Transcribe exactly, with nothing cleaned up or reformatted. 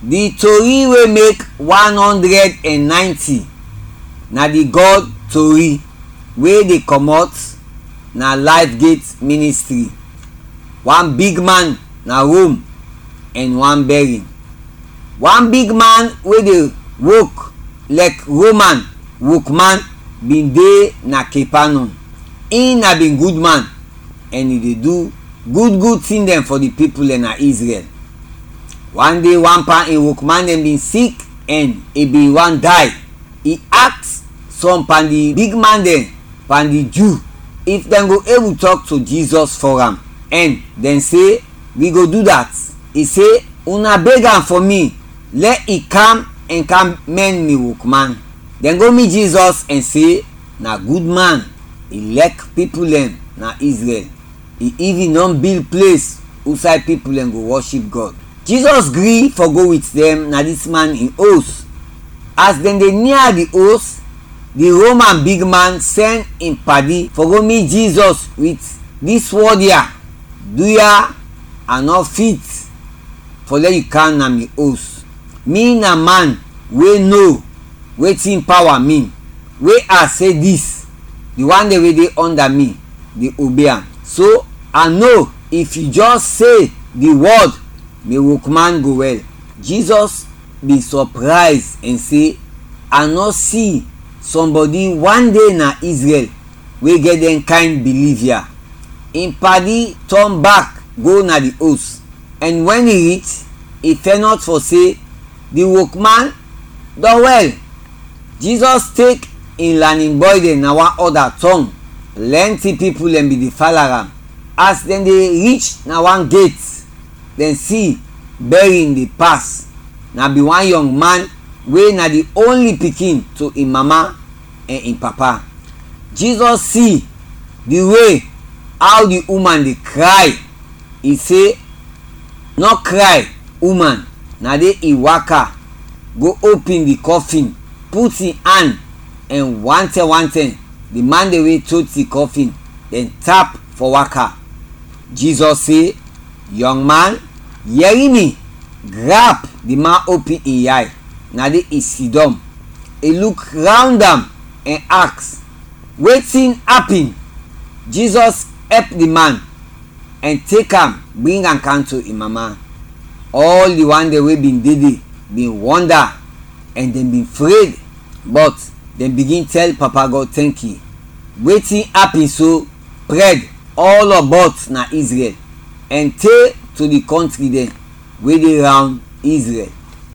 Di tori wey mek one hundred and ninety na di God tori wey dey comot na Life Gate Ministry. One big man na Rome and one bearing. One big man wey dey wok lɛk Roman wokman bin de na Capernaum. In na bin gud man and i dey du gud gud tin dɛn fɔ di pipul dɛn na Israel. One day, one pan in wokman dɛn bin sik and i bin want day. I aks sɔm pan di big man dɛn pan di Ju if dɛn go ebul tɔk to Jizɔs fɔ am, and dɛn se, "Wi go du dat." I se, "Una beg am fɔ mi, lɛ i kam ɛn kam mɛn mi wokman." Dɛn go mit Jizɔs ɛn se, "Na gud man, i lɛk pipul dɛn na Izrɛl. I ivin dɔn bil ples usay pipul dɛn go wɔship Gɔd." Jizɔs gri fɔ go wit dɛn na dis man in os. As dɛn de nia di os, di Roman bigman sɛn in padi fɔ go mit Jizɔs wit dis wɔd ya, "Duya, a nɔ fit fɔ lɛ yu kam na mi os. Mi na man we no wetin pawa min, we a se dis, di wan dɛn we de ɔnda mi de obe am. So, a no, if yu jɛs se di wɔd, mi wokman go wɛl." Jizɔs bin sɔprayz ɛn se, "A nɔ si sɔmbɔdi wan de na Izrɛl we gɛt dɛn kayn biliv ya." In padi tɔn bak go na di os, ɛn wɛn i rich, i fɛnɔt fɔ se, "Di wokman dɔn wɛl." Jizɔs tek in lanin bɔy dɛn na wan ɔda tɔng. Plɛnti pipul dɛn bin de fala am. As dɛn de rich na wan get, dɛn si bɛrin de pas. Na bin wan yɔng man we na di onli pikin to in mama ɛn in papa. Jizɔs si di we aw di uman de kray, i se, "Nɔ kray, uman." Na de i waka go opin di kɔfin, put in an, ɛn wantɛm wantɛm di man dɛn we tot di kɔfin dɛn tap fɔ waka. Jizɔs se, "Yɔng man, yɛri mi." Grap di man opin in yay, na de i sidɔm, i luk rawnd am ɛn aks, "Wetin apin?" Jizɔs ɛp di man ɛn tek am bring am kam to in mama. Ɔl di wan dɛn we bin de de bin wɔnda ɛn dɛn bin fred, bɔt dɛn bigin tɛl Papa Gɔd tɛnki. Wetin apin so prɛd ɔlɔbɔt na Izrɛl ɛn te to di kɔntri dɛn we de rawnd Izrɛl.